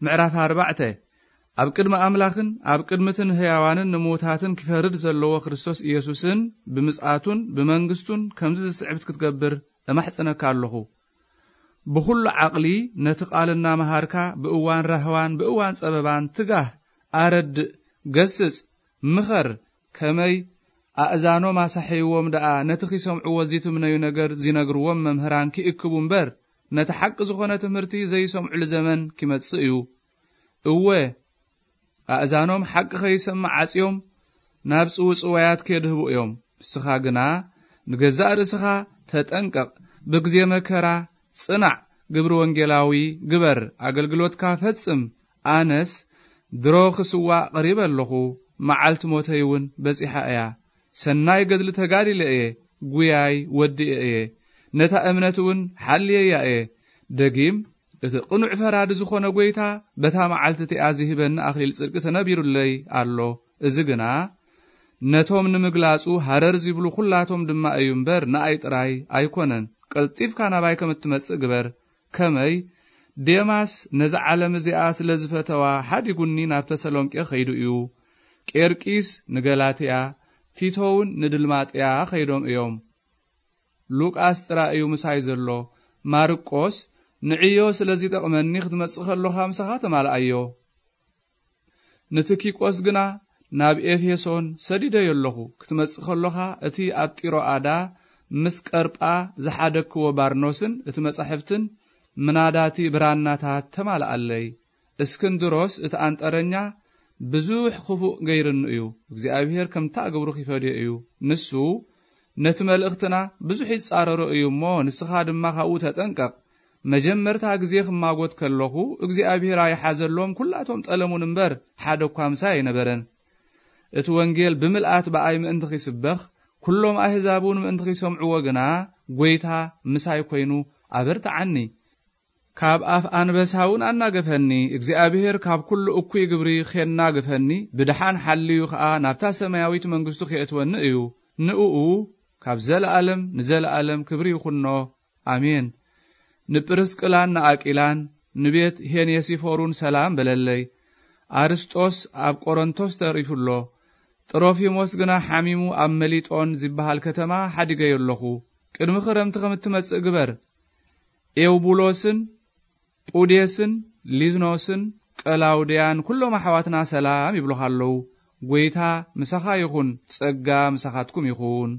ምዕራፍ ኣርባዕተ። ኣብ ቅድሚ ኣምላኽን ኣብ ቅድሚ እትን ህያዋንን ንምዉታትን ክፈርድ ዘለዎ ክርስቶስ ኢየሱስን ብምጽኣቱን ብመንግስቱን ከምዚ ዝስዕብት ክትገብር እማሕጽነካ ኣለኹ። ብኹሉ ዓቕሊ ነቲ ቃል እናመሃርካ ብእዋን ራህዋን ብእዋን ጸበባን ትጋህ፣ ኣረድእ፣ ገስጽ፣ ምኸር፣ ከመይ ኣእዛኖም ኣሳሕይዎም ደኣ ነቲ ኺሰምዕዎ ዚትምነዩ ነገር ዚነግርዎም መምህራን ኪእክቡ እምበር፣ ነቲ ሓቂ ዝኾነ ትምህርቲ ዘይሰምዑሉ ዘመን ኪመጽእ እዩ። እወ፣ ኣእዛኖም ሓቂ ኸይሰምዕ ዓጽዮም ናብ ጽውጽዋያት ኬድህቡ እዮም። ንስኻ ግና ንገዛእ ርእስኻ ተጠንቀቕ፣ ብግዜ መከራ ጽናዕ፣ ግብሪ ወንጌላዊ ግበር፣ ኣገልግሎትካ ፈጽም። ኣነስ ድሮ ክስዋእ ቀሪበ ኣለኹ፣ መዓልቲ ሞተይ እውን በጺሓ እያ። ሰናይ ገድሊ ተጋዲለ እየ፣ ጉያይ ወዲኤ እየ፣ ነታ እምነት እውን ሓልየያ እየ። ደጊም እቲ ቅኑዕ ፈራዲ ዝኾነ ጐይታ በታ መዓልቲ እቲኣ ዝህበኒ ኣኽሊል ጽድቂ ተነቢሩለይ ኣሎ። እዚ ግና ነቶም ንምግላጹ ሃረር ዚብሉ ኹላቶም ድማ እዩ እምበር፣ ንኣይ ጥራይ ኣይኮነን። ቀልጢፍካ ናባይ ከም እትመጽእ ግበር። ከመይ? ዴማስ ነዛ ዓለም እዚኣ ስለ ዝፈተዋ፣ ሓዲጉኒ ናብ ተሰሎንቄ ኸይዱ እዩ። ቄርቂስ ንገላትያ፣ ቲቶውን ንድልማጥያ ኸይዶም እዮም። ሉቃስ ጥራይ እዩ ምሳይ ዘሎ። ማርቆስ ንዕዮ ስለ ዚጠቕመኒ፣ ክትመጽእ ከሎኻ ምሳኻ ተማልኣዮ። ንትኪቆስ ግና ናብ ኤፌሶን ሰዲደዮ ኣለኹ። ክትመጽእ ከሎኻ፣ እቲ ኣብ ጢሮኣዳ ምስ ቀርጳ ዝሓደግክዎ ባርኖስን እቲ መጻሕፍትን ምናዳቲ ብራናታት ተማልኣለይ። እስክንድሮስ እቲ ኣንጠረኛ ብዙሕ ክፉእ ገይርኒ እዩ። እግዚኣብሔር ከምታ ግብሩ ኺፈድዮ እዩ። ንሱ ነቲ መልእኽትና ብዙሕ ይጻረሮ እዩ እሞ፣ ንስኻ ድማ ካብኡ ተጠንቀቕ። መጀመርታ ግዜ ክማጎት ከለኹ፣ እግዚኣብሔር ኣይሓዘሎም፣ ኩላቶም ጠለሙን እምበር፣ ሓደ እኳ ምሳይ ኣይነበረን። እቲ ወንጌል ብምልኣት ብኣይ ምእንቲ ኺስበኽ፣ ኩሎም ኣህዛብ እውን ምእንቲ ኺሰምዕዎ ግና፣ ጐይታ ምሳይ ኰይኑ ኣበርትዓኒ። ካብ ኣፍ ኣንበሳ እውን ኣናገፈኒ። እግዚኣብሔር ካብ ኩሉ እኩይ ግብሪ ኼናግፈኒ፣ ብደሓን ሓልዩ ኸኣ ናብታ ሰማያዊት መንግስቱ ኼእትወኒ እዩ። ንእኡ ካብ ዘለኣለም ንዘለኣለም ክብሪ ይኹኖ። ኣሜን። ንጵርስቅላን ንኣቂላን ንቤት ሄኔሲፎሩን ሰላም በለለይ። ኣርስጦስ ኣብ ቆሮንቶስ ተሪፉ ኣሎ። ጥሮፊሞስ ግና ሓሚሙ ኣብ መሊጦን ዝበሃል ከተማ ሓዲገዮ ኣለኹ። ቅድሚ ክረምቲ ከም እትመጽእ ግበር። ኤውቡሎስን ጳዴስን ሊኖስን ቀላውድያን ኩሎም ኣሕዋትና ሰላም ይብሉኻ ኣለዉ። ጐይታ ምሳኻ ይኹን፣ ጸጋ ምሳኻትኩም ይኹን።